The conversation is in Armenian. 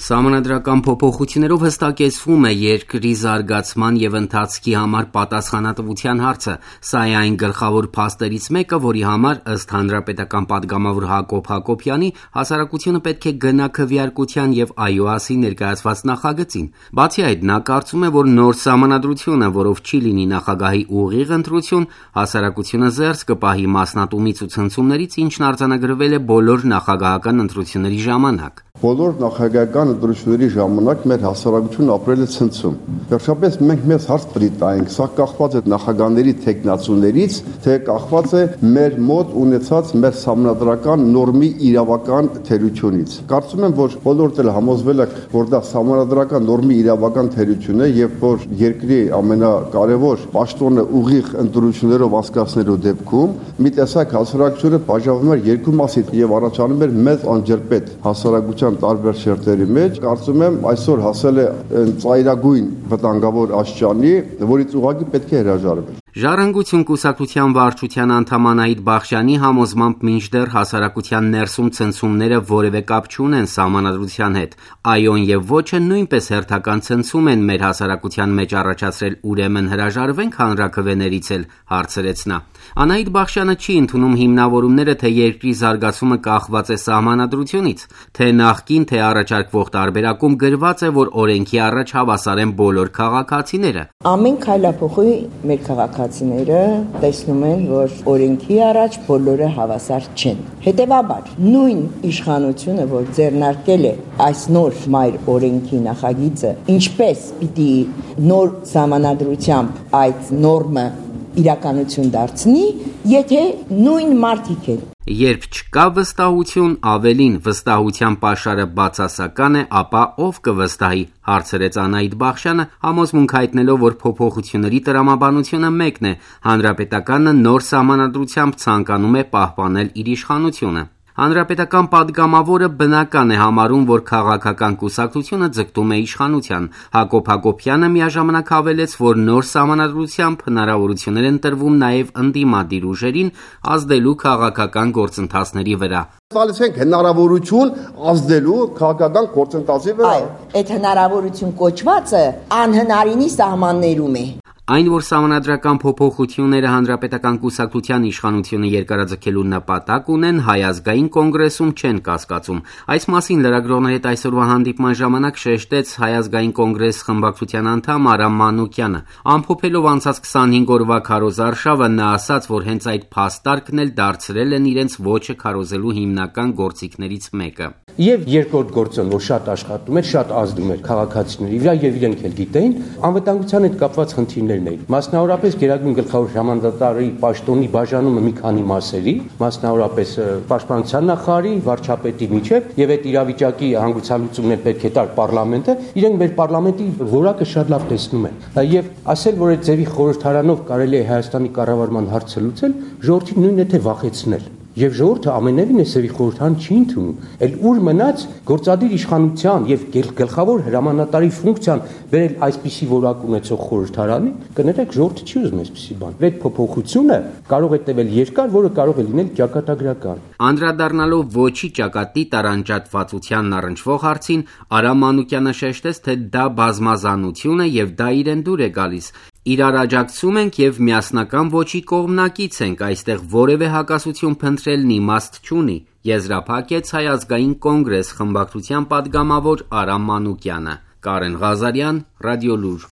Սահմանադրական փոփոխություններով հստակեցվում է երկրի զարգացման և ընթացքի համար պատասխանատվության հարցը։ Սա է այն գլխավոր փաստերից մեկը, որի համար, ըստ հանրապետական պատգամավոր Հակոբ Հակոբյանի, հասարակությունը պետք է գնա քվեարկության և ԱՅՈԱՍ-ի ներկայացված նախագծին։ Բացի այդ, նա կարծում է, որ նոր սահմանադրությունը, որով չի լինի նախագահի ուղիղ ընտրություն, հասարակությունը զերծ կպահի մասնատումից ու ցնցումներից, ինչն արձանագրվել է բոլոր նախագահական ընտրությունների ժամանակ։ Բոլոր նախագահական ընտրությունների ժամանակ մեր հասարակությունն ապրել է ցնցում։ Վերջապես մենք մեզ հարց պետք է տայինք, սա կախված է նախագահների թեկնածուներից, թե կախված է մեր մոտ ունեցած մեր սահմանադրական նորմի իրավական թերությունից։ Կարծում եմ, որ բոլորդ էլ համոզվել եք, որ դա սահմանադրական նորմի իրավական թերություն է եւ որ երկրի ամենակարևոր պաշտոնը ուղիղ ընտրություններով անցկացնելու դեպքում մի տեսակ հասարակությունը բաժանվում էր երկու մասի եւ առաջանում էր մեծ անջրպետ հասարակության տարբեր շերտերի մեջ, կարծում եմ այսօր հասել է ծայրագույն վտանգավոր աստիճանի, որից ուղղակի պետք է հրաժարվել։ Ժառանգություն կուսակցության վարչության անդամ Անահիտ Բախշյանի համոզմամբ մինչդեռ հասարակության ներսում ցնցումները որևէ կապ չունեն սահմանադրության հետ։ ԱՅՈ-ն եւ ոչը նույնպես հերթական ցնցում են մեր հասարակության մեջ առաջացրել, ուրեմն հրաժարվենք հանրաքվեներից էլ, հարցրեց նա։ Անահիտ Բախշյանը չի ընդունում հիմնավորումները, թե երկրի զարգացումը կախված է սահմանադրությունից, թե նախկին, թե առաջարկվող տարբերակում գրված է, որ օրենքի առաջ հավասար են բոլոր քաղաքացիները։ Ամեն քայլափոխի մեր քաղաքացիները տեսնում են, որ օրենքի առաջ բոլորը հավասար չեն։ Հետևաբար, նույն իշխանությունը, որ ձեռնարկել է այս նոր մայր օրենքի նախագիծը, ինչպես պիտի նոր սահմանադրությամբ այդ նորմը իրականություն դարձնի, եթե նույն մարդիկ են։ Երբ չկա վստահություն, ավելին վստահության պաշարը բացասական է, ապա ով կվստահի, հարցրեց Անահիտ Բախշյանը, համոզմունք հայտնելով, որ փոփոխությունների տրամաբանությունը մեկն է, հանրապետականը նոր սահմանադրությամբ ցանկանում է պահպանել իր իշխանությունը։ Հանրապետական պատգամավորը բնական է համարում, որ քաղաքական կուսակցությունը ձգտում է իշխանության։ Հակոբ Հակոբյանը միաժամանակ հավելեց, որ նոր սահմանադրությամբ հնարավորություններ են տրվում նաև ընդդիմադիր ուժերին ազդելու քաղաքական գործընթացների վրա։ Տալիս ենք հնարավորություն ազդելու քաղաքական գործընթացի վրա։ Այո, այդ հնարավորություն կոչվածը անհնարինի սահմաններում է։ Այն, որ սահմանադրական փոփոխությունները հանրապետական կուսակցության իշխանությունը երկարաձգելու նպատակ ունեն, Հայ ազգային կոնգրեսում չեն կասկածում։ Այս մասին լրագրողների հետ այսօրվա հանդիպման ժամանակ շեշտեց Հայ ազգային կոնգրես խմբակցության անդամ Արամ Մանուկյանը։ Ամփոփելով անցած 25 օրվա քարոզարշավը, նա ասաց, որ հենց այդ փաստարկն էլ դարձրել են իրենց ոճը քարոզելու հիմնական գործիքներից մեկը։ Եվ երկրորդ գործոն, որ շատ աշխատում էր, շատ ազդում էր քաղաքացիների վրա եւ իրենք էլ գիտեին, անվտանգության հետ կապված խնդիրներն էին։ Մասնավորապես Գերագույն գլխավոր հրամանատարի պաշտոնի բաժանումը մի քանի մասերի, մասնավորապես պաշտպանության նախարարի, վարչապետի միջև եւ այդ իրավիճակի հանգուցալուծումներ պետք է տար պարլամենտը, իրենք մեր պարլամենտի որակը շատ լավ տեսնում են։ Եվ ասել, որ այդ ձևի խորհրդարանով կարելի է Հայաստանի կառավարման հարցը լուծել, ժողովրդին նույնն է թե վախեցնել։ Եվ ժողովուրդը ամենևին է սեւի խորհրդան չի ընդունում, այլ ուր մնաց գործադիր իշխանության եւ գլխավոր հրամանատարի ֆունկցիան վերել այսպիսի որակ ունեցող խորհրդարանի, կներեք ժողովուրդը չի ուզում այսպիսի բան։ Այդ փոփոխությունը կարող է տևել երկար, որը կարող է լինել ճակատագրական։ Անդրադառնալով ոչի ճակատի տարանջատվածությանն առնչվող հարցին, Արամ Մանուկյանը շեշտեց, թե դա բազմազանություն է եւ դա իրեն դուր է գալիս։ Իրար աջակցում ենք եւ միասնական ոչի կողմնակից ենք, այստեղ որևէ հակասություն փնտրելն իմաստ չունի, եզրափակեց Հայ ազգային կոնգրես խմբակցության պատգամավոր Արամ Մանուկյանը։ Կարեն Ղազարյան, Ռադիոլուր։